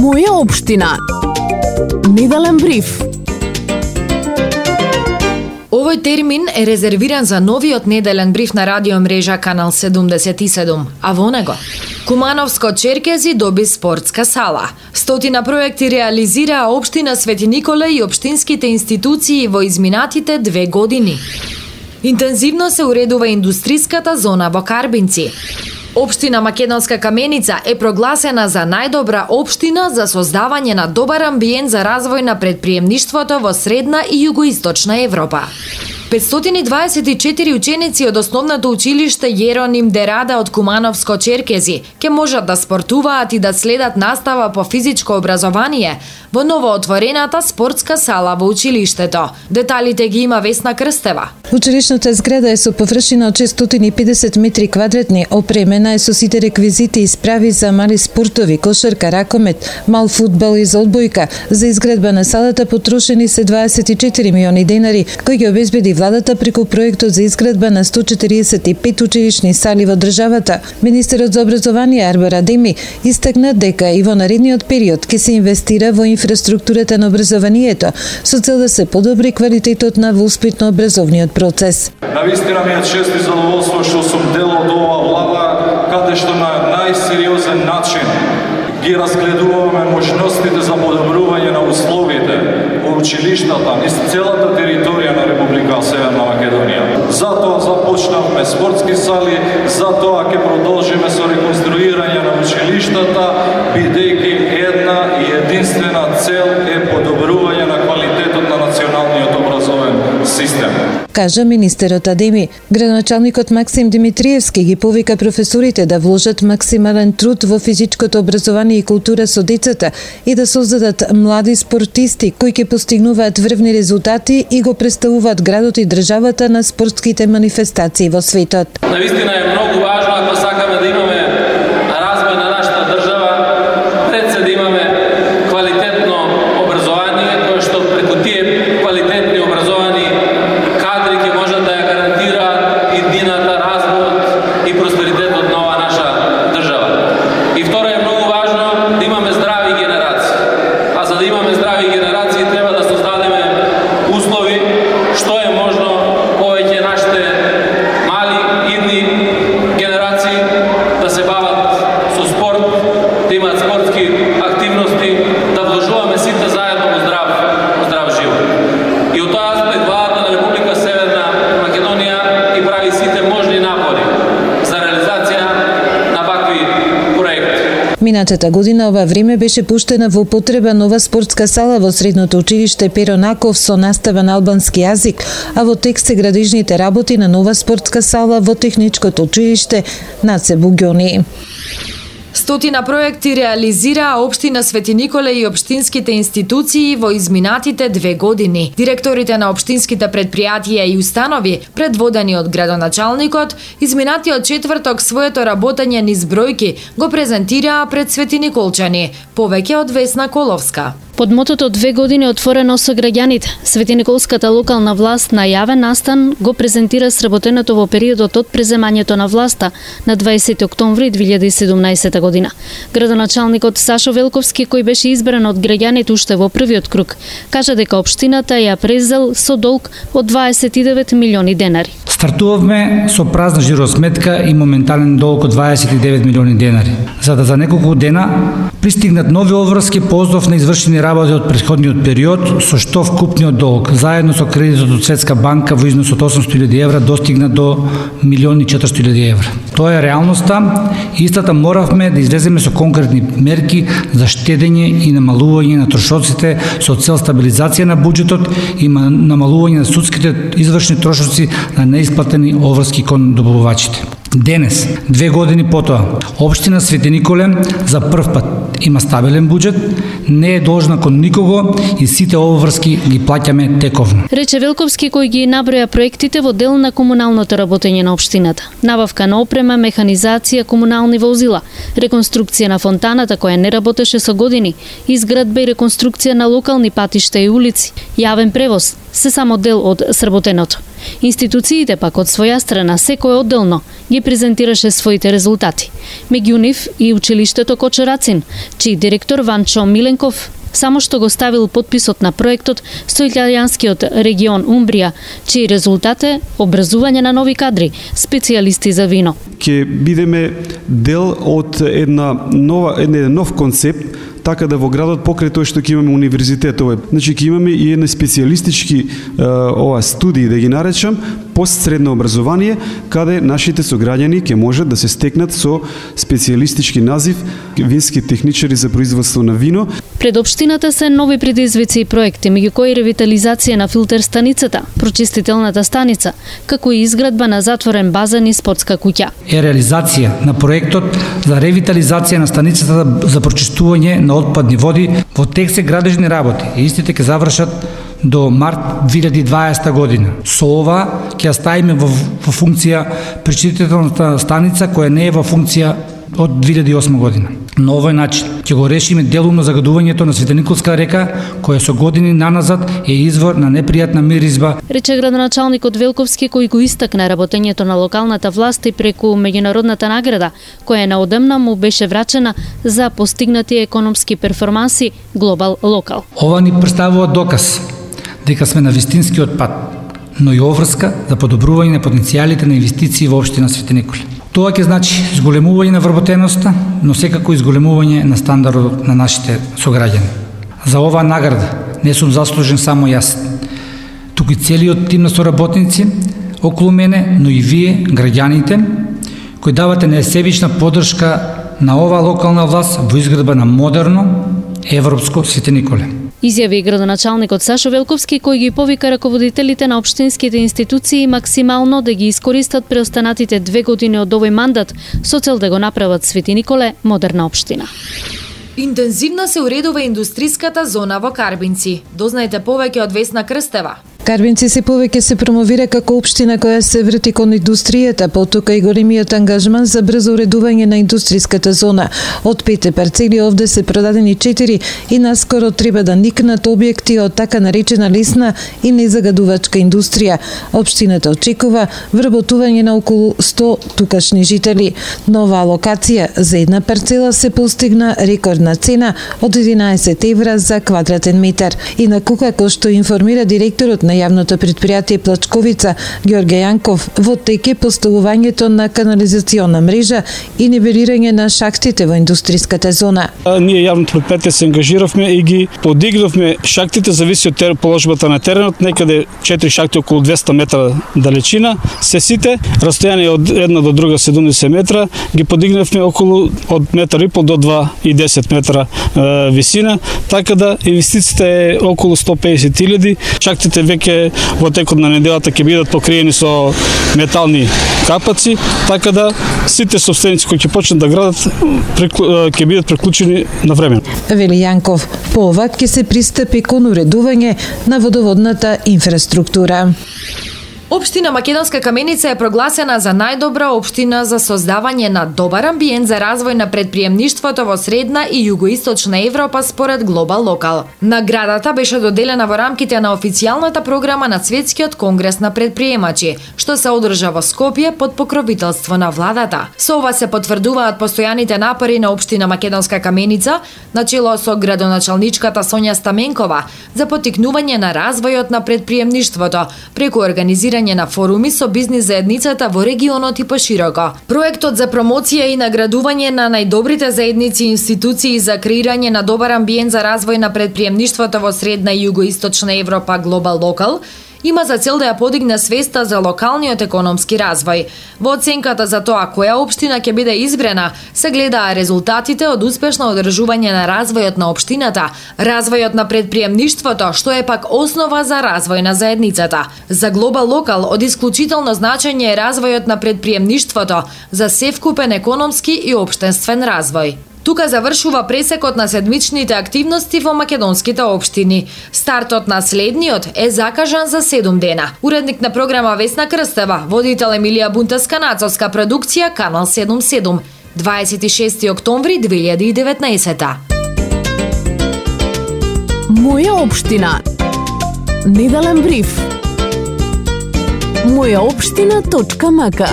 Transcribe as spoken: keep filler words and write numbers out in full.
Моја општина. Неделен бриф. Овој термин е резервиран за новиот неделен бриф на радио мрежа Канал седумдесет и седум, а во него Кумановско-Черкези доби спортска сала. Стотина проекти реализираа општина Свети Николе и општинските институции во изминатите две години. Интензивно се уредува индустриската зона во Карбинци. Општина Македонска Каменица е прогласена за најдобра општина за создавање на добар амбиент за развој на предприемништвото во средна и југоисточна Европа. петстотини дваесет и четири ученици од основното училиште Јероним Дерада од Кумановско-Черкези ќе можат да спортуваат и да следат настава по физичко образование во новоотворената спортска сала во училиштето. Деталите ги има Весна Крстева. Училишната зграда е со површина од шестстотини и педесет метри квадратни, опремена е со сите реквизити и справи за мали спортови, кошарка, ракомет, мал фудбал и за одбојка. За изградба на салата потрошени се дваесет и четири милиони денари, кои ги обезбеди владата преку проектот за изградба на сто четириесет и пет училишни сали во државата. Министерот за образование Арбар Адеми истакна дека и во наредниот период ќе се инвестира во инфраструктурата на образованието со цел да се подобри квалитетот на воспитно-образовниот процес. Навистина ми е чест и задоволство што сум дел од оваа влада, каде што на најсериозен начин ги разгледуваме можностите за подобрување на условите во училиштата низ целата територија на Република Северна Македонија. Затоа започнавме спортски сали, затоа ќе продолжиме со реконструирање на училиштата, бидејќи една и единствена цел е подобрување на квалитетот на националниот образовен систем. Кажа министерот Адеми. Градоначалникот Максим Димитриевски ги повика професорите да вложат максимален труд во физичкото образование и култура со децата и да создадат млади спортисти кои ќе постигнуваат врвни резултати и го представуваат градот и државата на спортските манифестации во светот. Навистина е многу важно ако сакаме да имаме развој на нашата држава, пред се да имаме квалитетно образование, кое што преку тие квалитетни образовани кадри ќе можат да ја гарантираат иднината, развојот и просперитетот на оваа наша држава. И второ е многу важно да имаме здрави генерации. А за да имаме здрави генерации треба да создадеме услови што е можно повеќе нашите мали идни генерации да се бават со спорт, да имаат спортски активности, да вложуваме сите заедно во здрав, во здрав живот. И од тој аспект владата на Република Северна Македонија и прави сите можни напори за реализација на вакви проекти. Минатата година ова време беше пуштена во употреба нова спортска сала во средното училиште Перо Наков со настава на албански јазик, а во текст се градижните работи на нова спортска сала во техничкото училиште Наце Буѓони. Стотина проекти реализираа општина Свети Николе и општинските институции во изминатите две години. Директорите на општинските предпријатија и установи, предводени од градоначалникот, изминатиот четврток своето работење низ бројки го презентираа пред Свети Николчани, повеќе од Весна Коловска. Под мотото две години отворено со граѓаните, Свети Николската локална власт на јавен настан го презентира сработеното во периодот од преземањето на власта на дваесети октомври две илјади и седумнаесета година. Градоначалникот Сашо Велковски, кој беше избран од граѓаните уште во првиот круг, кажа дека општината ја презел со долг од дваесет и девет милиони денари. Стартувавме со празна жиросметка и моментален долг од дваесет и девет милиони денари. За да за неколку дена пристигнат нови обврски по ознов на извршени работи од претходниот период, со што вкупниот долг, заедно со кредитот од Светска банка во износ од осумстотини илјади евра, достигна до милион и четиристотини илјади евра. Тоа е реалноста и истата моравме да излеземе со конкретни мерки за штедење и намалување на трошоците со цел стабилизација на буџетот и намалување на судските извршни трошоци на неисплатени обврски кон добавувачите. Денес, две години потоа, општина Свети Николе за прв пат има стабилен буџет, не е должна кон никого и сите обврски ги плаќаме тековно. Рече Велковски, кој ги наброја проектите во дел на комуналното работење на општината. Набавка на опрема, механизација, комунални возила, реконструкција на фонтаната која не работеше со години, изградба и реконструкција на локални патишта и улици, јавен превоз, се само дел од сработеното. Институциите пак од своја страна секој одделно ги презентираше своите резултати. Меѓу нив и училиштето Кочурацин, чиј директор Ванчо Миленков само што го ставил подписот на проектот со италијанскиот регион Умбрија, чиј резултат е образување на нови кадри, специјалисти за вино. Ќе бидеме дел од една нова еден нов концепт, така да во градот покрај тоа што ќе имаме универзитет овој. Значи ќе имаме и едни специјалистички ова студии да ги наречам, постсредно образование, каде нашите сограѓани ќе можат да се стекнат со специјалистички назив вински техничари за производство на вино. Пред општината се нови предизвици и проекти, меѓу кои ревитализација на филтер станицата, прочистителната станица, како и изградба на затворен базен и спортска куќа. Е реализација на проектот за ревитализација на станицата за прочистување на отпадни води. Во тек се градежни работи и истите ќе завршат до март две илјади и дваесета година. Со ова ќе ставиме во, во функција пречистителната станица која не е во функција од две илјади и осма година. На овој начин ќе го решиме делумно загадувањето на Светениколска река, која со години наназад е извор на непријатна миризба. Рече градоначалникот Велковски, кој го истакна работењето на локалната власт и преку меѓународната награда, која неодамна му беше врачена за постигнати економски перформанси Глобал Локал. Ова ни представува доказ дека сме на вистинскиот пат, но и обврска за подобрување на потенцијалите на инвестиции во општина Свети Николе. Тоа ќе значи зголемување на вработеноста, но секако и зголемување на стандардот на нашите сограѓани. За оваа награда не сум заслужен само јас, туку и целиот тим на соработници околу мене, но и вие, граѓаните, кои давате несебична поддршка на оваа локална власт во изградба на модерно европско Свети Николе. Изјави градоначалникот Сашо Велковски, кој ги повика раководителите на општинските институции максимално да ги искористат преостанатите две години од овој мандат со цел да го направат Свети Николе модерна општина. Интензивно се уредува индустриската зона во Карбинци. Дознаете повеќе од Весна Крстева. Карбинци се повеќе се промовира како општина која се врти кон индустријата, потока и големиот ангажман за брзо уредување на индустриската зона. Од пете парцели овде се продадени четири и наскоро треба да никнат објекти од така наречена лесна и незагадувачка индустрија. Општината очекува вработување на околу сто тукашни жители. Нова локација за една парцела се постигна рекордна цена од единаесет евра за квадратен метар. Инаку, како што информира директорот на јавното предпријатие Плачковица Ѓорѓе Јанков, во тек е поставувањето на канализациона мрежа и нивелирање на шахтите во индустриската зона. А, ние јавното предпријатие се ангажиравме и ги подигнавме шахтите, зависи од положбата на теренот, некаде четири шахти околу двесте метра далечина, се сите, растојание од една до друга седумдесет метра, ги подигнавме околу од метар и пол до два и десет метра е, висина, така да инвестициите е околу сто педесет илјади, шахтите веќе во текот на неделата ќе бидат покриени со метални капаци, така да сите собственици кои ќе почнат да градат ќе бидат приклучени на време. Вели Јанков, по ова ќе се пристапи кон уредување на водоводната инфраструктура. Општина Македонска Каменица е прогласена за најдобра општина за создавање на добар амбиент за развој на предприемништвото во средна и југоисточна Европа според Глобал Локал. Наградата беше доделена во рамките на официјалната програма на Светскиот конгрес на предприемачи, што се одржа во Скопје под покровителство на владата. Со ова се потврдуваат постојаните напори на општина Македонска Каменица, начело со градоначалничката Сонја Стаменкова, за поттикнување на развојот на предприемништвото преку организирање на форуми со бизнис заедницата во регионот и пошироко. Проектот за промоција и наградување на најдобрите заедници и институции за креирање на добар амбиент за развој на предприемништвото во средна и југоисточна Европа Глобал Локал има за цел да ја подигне свеста за локалниот економски развој. Во оценката за тоа која општина ќе биде избрана, се гледаа резултатите од успешно одржување на развојот на општината, развојот на предприемништвото, што е пак основа за развој на заедницата. За Глобал Локал од исклучително значење е развојот на предприемништвото за севкупен економски и општинствен развој. Тука завршува пресекот на седмичните активности во македонските општини. Стартот на следниот е закажан за седум дена. Уредник на програма Весна Крстева, водител Емилија Бунтеска, нацовска продукција Канал седумдесет и седум, дваесет и шести октомври две илјади и деветнаесета. Моја општина. Неделен бриф. Моја општина точка мака